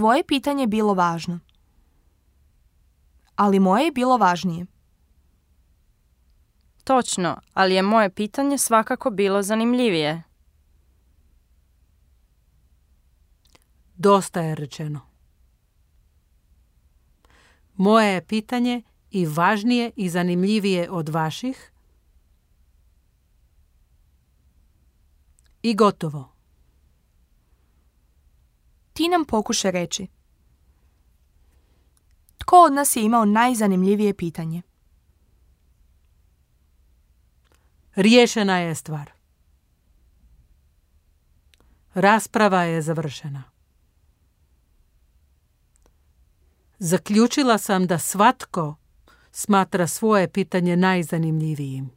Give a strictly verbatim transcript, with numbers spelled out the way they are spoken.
tvoje pitanje bilo važno. Ali moje je bilo važnije. Točno, ali je moje pitanje svakako bilo zanimljivije. Dosta je rečeno. Moje je pitanje i važnije i zanimljivije od vaših. I gotovo. Ti nam pokušaj reći. Tko od nas je imao najzanimljivije pitanje? Riješena je stvar. Rasprava je završena. Zaključila sam da svatko smatra svoje pitanje najzanimljivijim.